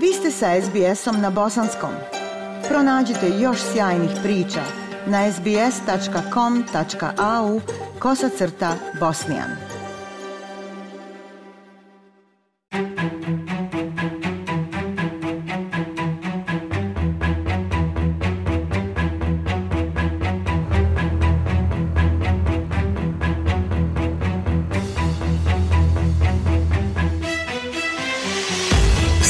Vi ste sa SBS-om na bosanskom. Pronađite još sjajnih priča na sbs.com.au/bosnian.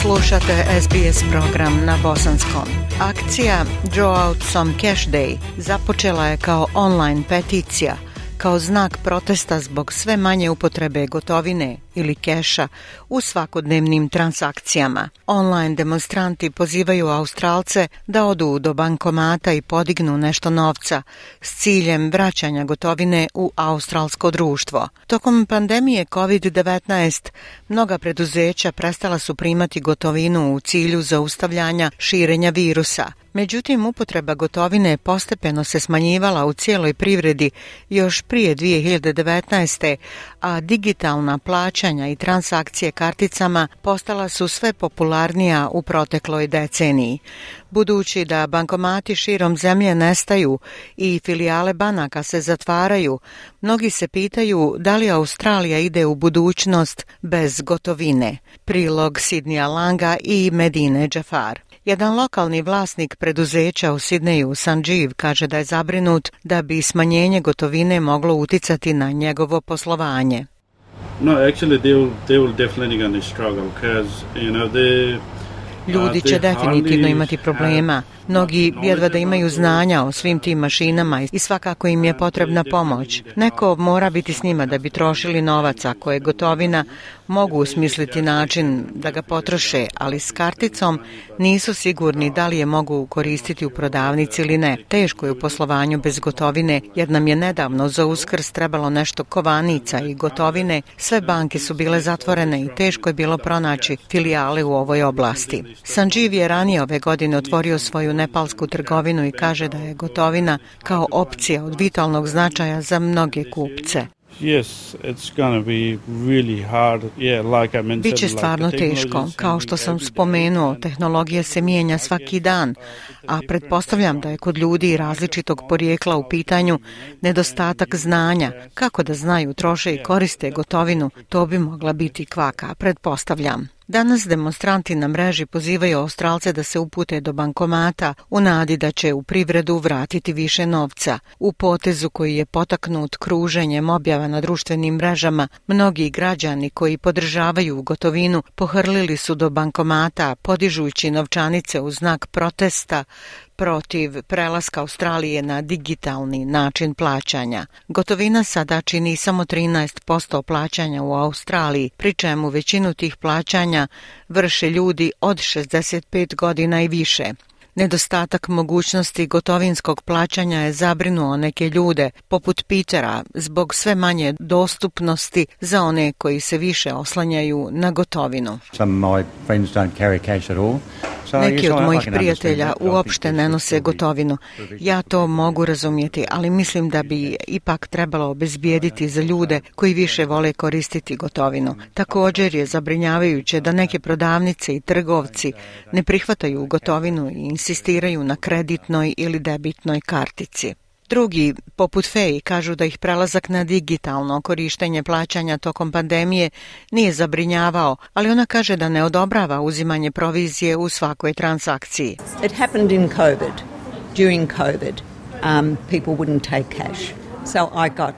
Slušate SBS program na bosanskom. Akcija Draw Out Some Cash Day započela je kao online peticija, kao znak protesta zbog sve manje upotrebe gotovine ili keša u svakodnevnim transakcijama. Online demonstranti pozivaju Australce da odu do bankomata i podignu nešto novca s ciljem vraćanja gotovine u australsko društvo. Tokom pandemije COVID-19 mnoga preduzeća prestala su primati gotovinu u cilju zaustavljanja širenja virusa. Međutim, upotreba gotovine postepeno se smanjivala u cijeloj privredi još prije 2019. a digitalna plaćanja i transakcije karticama postala su sve popularnija u protekloj deceniji. Budući da bankomati širom zemlje nestaju i filijale banaka se zatvaraju, mnogi se pitaju da li Australija ide u budućnost bez gotovine. Prilog Sidneya Langa i Medine Džafar. Jedan lokalni vlasnik preduzeća u Sidneju, Sanjeev, kaže da je zabrinut da bi smanjenje gotovine moglo uticati na njegovo poslovanje. No, actually they will definitely going to struggle because Ljudi će definitivno imati problema. Mnogi jedva da imaju znanja o svim tim mašinama i svakako im je potrebna pomoć. Neko mora biti s njima da bi trošili novac. Ako je gotovina, mogu usmisliti način da ga potroše, ali s karticom nisu sigurni da li je mogu koristiti u prodavnici ili ne. Teško je u poslovanju bez gotovine, jer nam je nedavno za Uskrs trebalo nešto kovanica i gotovine. Sve banke su bile zatvorene i teško je bilo pronaći filijale u ovoj oblasti. Sanjeev je ranije ove godine otvorio svoju nepalsku trgovinu i kaže da je gotovina kao opcija od vitalnog značaja za mnoge kupce. Biće stvarno teško. Kao što sam spomenuo, tehnologija se mijenja svaki dan, a pretpostavljam da je kod ljudi različitog porijekla u pitanju nedostatak znanja. Kako da znaju, troše i koriste gotovinu, to bi mogla biti kvaka, pretpostavljam. Danas demonstranti na mreži pozivaju Australce da se upute do bankomata u nadi da će u privredu vratiti više novca. U potezu koji je potaknut kruženjem objava na društvenim mrežama, mnogi građani koji podržavaju gotovinu pohrlili su do bankomata podižući novčanice u znak protesta protiv prelaska Australije na digitalni način plaćanja. Gotovina sada čini samo 13% plaćanja u Australiji, pri čemu većinu tih plaćanja vrše ljudi od 65 godina i više. Nedostatak mogućnosti gotovinskog plaćanja je zabrinuo neke ljude, poput Petera, zbog sve manje dostupnosti za one koji se više oslanjaju na gotovinu. Neki od mojih prijatelja uopšte ne nose gotovinu. Ja to mogu razumjeti, ali mislim da bi ipak trebalo obezbijediti za ljude koji više vole koristiti gotovinu. Također je zabrinjavajuće da neke prodavnice i trgovci ne prihvataju gotovinu i insistiraju na kreditnoj ili debitnoj kartici. Drugi, poput Feji, kažu da ih prelazak na digitalno korištenje plaćanja tokom pandemije nije zabrinjavao, ali ona kaže da ne odobrava uzimanje provizije u svakoj transakciji. It happened in COVID. During COVID, people wouldn't take cash. So I got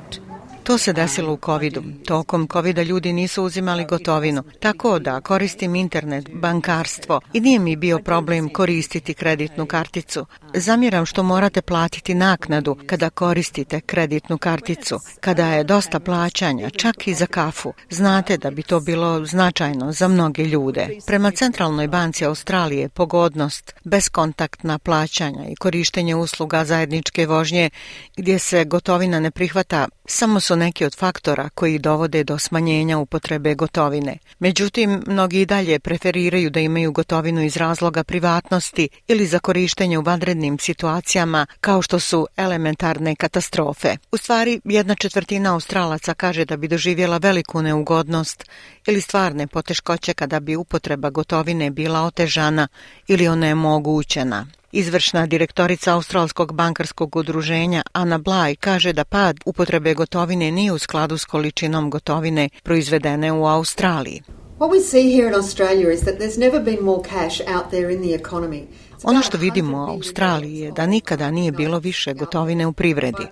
To se desilo u covidu. Tokom covida ljudi nisu uzimali gotovinu, tako da koristim internet, bankarstvo i nije mi bio problem koristiti kreditnu karticu. Zamjeram što morate platiti naknadu kada koristite kreditnu karticu, kada je dosta plaćanja, čak i za kafu. Znate da bi to bilo značajno za mnoge ljude. Prema Centralnoj banci Australije pogodnost, beskontaktna plaćanja i korištenje usluga zajedničke vožnje gdje se gotovina ne prihvata samo su neki od faktora koji dovode do smanjenja upotrebe gotovine. Međutim, mnogi i dalje preferiraju da imaju gotovinu iz razloga privatnosti ili za korištenje u vanrednim vanrednim situacijama kao što su elementarne katastrofe. U stvari, 1/4 Australaca kaže da bi doživjela veliku neugodnost ili stvarne poteškoće kada bi upotreba gotovine bila otežana ili onemogućena. Izvršna direktorica Australskog bankarskog udruženja Anna Bly kaže da pad upotrebe gotovine nije u skladu s količinom gotovine proizvedene u Australiji. What we see here in Australia is that there's never been more cash out there in the economy. Ono što vidimo u Australiji je da nikada nije bilo više gotovine u privredi.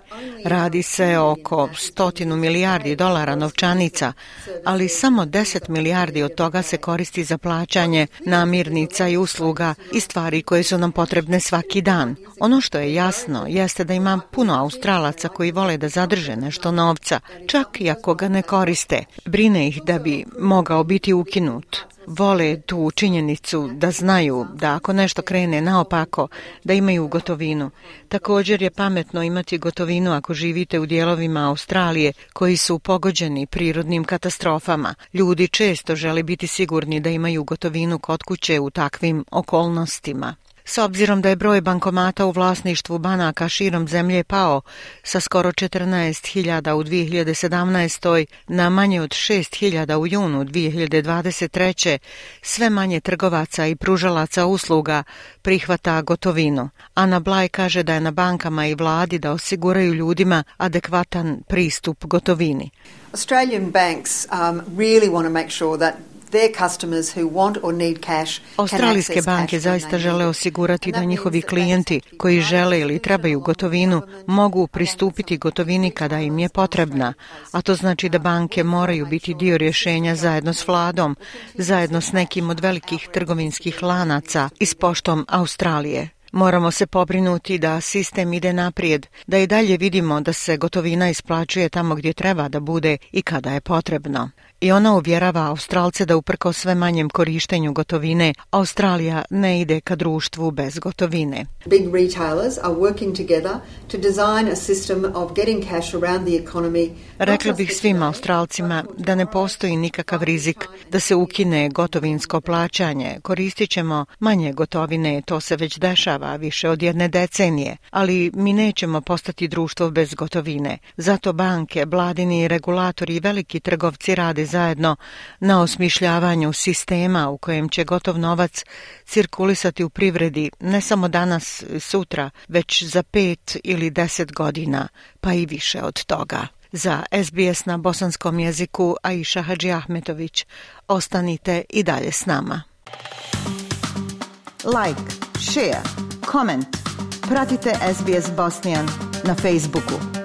Radi se oko 100 milijardi dolara novčanica, ali samo 10 milijardi od toga se koristi za plaćanje namirnica i usluga i stvari koje su nam potrebne svaki dan. Ono što je jasno jeste da ima puno Australaca koji vole da zadrže nešto novca, čak i ako ga ne koriste. Brine ih da bi mogao biti ukinut. Vole tu činjenicu da znaju da ako nešto krene naopako, da imaju gotovinu. Također je pametno imati gotovinu ako živite u dijelovima Australije koji su pogođeni prirodnim katastrofama. Ljudi često žele biti sigurni da imaju gotovinu kod kuće u takvim okolnostima. S obzirom da je broj bankomata u vlasništvu banaka širom zemlje pao sa skoro 14.000 u 2017. na manje od 6.000 u junu 2023. sve manje trgovaca i pružalaca usluga prihvata gotovinu. Anna Bly kaže da je na bankama i vladi da osiguraju ljudima adekvatan pristup gotovini. Australian banks really want to make sure that their customers who want or need cash. Australijske banke zaista žele osigurati da njihovi klijenti koji žele ili trebaju gotovinu mogu pristupiti gotovini kada im je potrebna, a to znači da banke moraju biti dio rješenja zajedno s vladom, zajedno s nekim od velikih trgovinskih lanaca i s Poštom Australije. Moramo se pobrinuti da sistem ide naprijed, da i dalje vidimo da se gotovina isplaćuje tamo gdje treba da bude i kada je potrebno. I ona uvjerava Australce da uprkos sve manjem korištenju gotovine, Australija ne ide ka društvu bez gotovine. Big retailers are working together to design a system of getting cash around the economy. Rekla bih svim Australcima da ne postoji nikakav rizik da se ukine gotovinsko plaćanje. Koristit ćemo manje gotovine, to se već dešava više od 1 decenije, ali mi nećemo postati društvo bez gotovine. Zato banke, vladini regulatori i veliki trgovci rade zajedno na osmišljavanju sistema u kojem će gotov novac cirkulisati u privredi ne samo danas, sutra, već za 5 ili 10 godina, pa i više od toga. Za SBS na bosanskom jeziku Aisha Hadži Ahmetović. Ostanite i dalje s nama. Like, share, comment. Pratite SBS Bosnian na Facebooku.